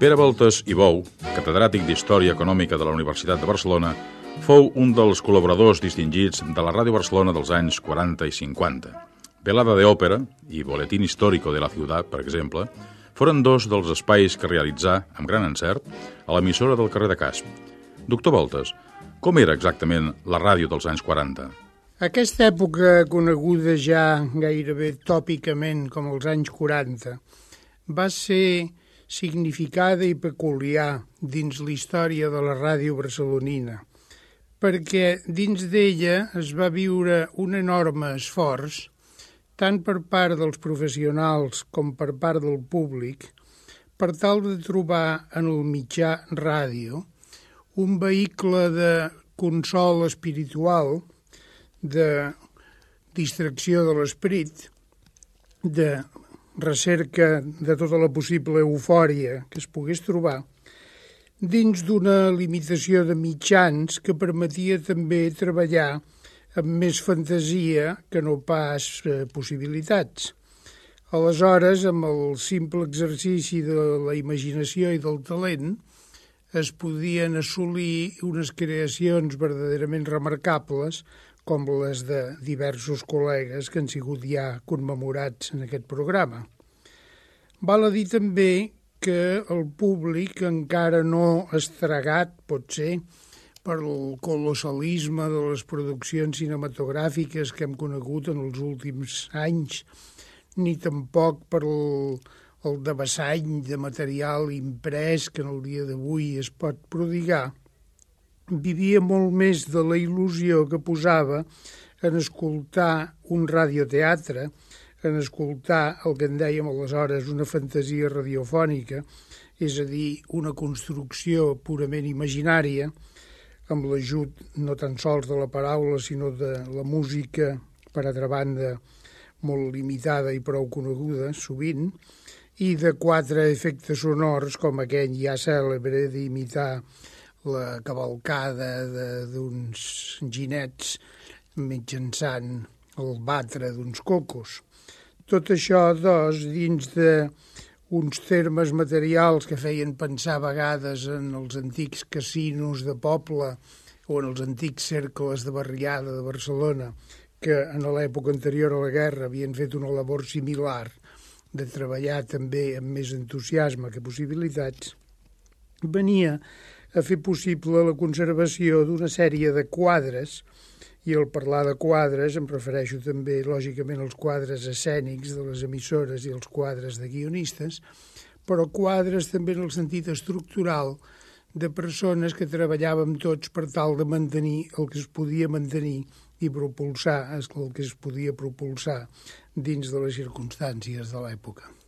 Pere Voltes i Bou, catedràtic d'Història Econòmica de la Universitat de Barcelona, fou un dels col·laboradors distingits de la Ràdio Barcelona dels anys 40 i 50. Velada de Òpera i Boletín Histórico de la Ciutat, per exemple, foren dos dels espais que realitzà, amb gran encert, a l'emissora del carrer de Casp. Doctor Voltes, com era exactament la ràdio dels anys 40? Aquesta època, coneguda ja gairebé tòpicament com els anys 40, va ser significada i peculiar dins la història de la ràdio barcelonina, perquè dins d'ella es va viure un enorme esforç, tant per part dels professionals com per part del públic, per tal de trobar en el mitjà ràdio un vehicle de consol espiritual, de distracció de l'esperit, de recerca de tota la possible eufòria que es pogués trobar, dins d'una limitació de mitjans que permetia també treballar amb més fantasia que no pas possibilitats. Aleshores, amb el simple exercici de la imaginació i del talent, es podien assolir unes creacions verdaderament remarcables com les de diversos col·legues que han sigut ja commemorats en aquest programa. Val a dir també que el públic encara no estragat, potser, per el colossalisme de les produccions cinematogràfiques que hem conegut en els últims anys, ni tampoc per el devassany de material imprès que en el dia d'avui es pot prodigar, vivia molt més de la il·lusió que posava en escoltar un radioteatre, en escoltar el que en dèiem aleshores una fantasia radiofònica, és a dir, una construcció purament imaginària, amb l'ajut no tan sols de la paraula, sinó de la música, per altra banda, molt limitada i prou coneguda, sovint, i de 4 efectes sonors, com aquell ja cèlebre d'imitar la cavalcada d'uns ginets mitjançant el batre d'uns cocos. Tot això, doncs, dins d'uns termes materials que feien pensar a vegades en els antics casinos de poble o en els antics cercles de barriada de Barcelona, que en l'època anterior a la guerra havien fet una labor similar de treballar també amb més entusiasme que possibilitats, venia a fer possible la conservació d'una sèrie de quadres, i al parlar de quadres em refereixo també, lògicament, als quadres escènics de les emissores i els quadres de guionistes, però quadres també en el sentit estructural de persones que treballàvem tots per tal de mantenir el que es podia mantenir i propulsar el que es podia propulsar dins de les circumstàncies de l'època.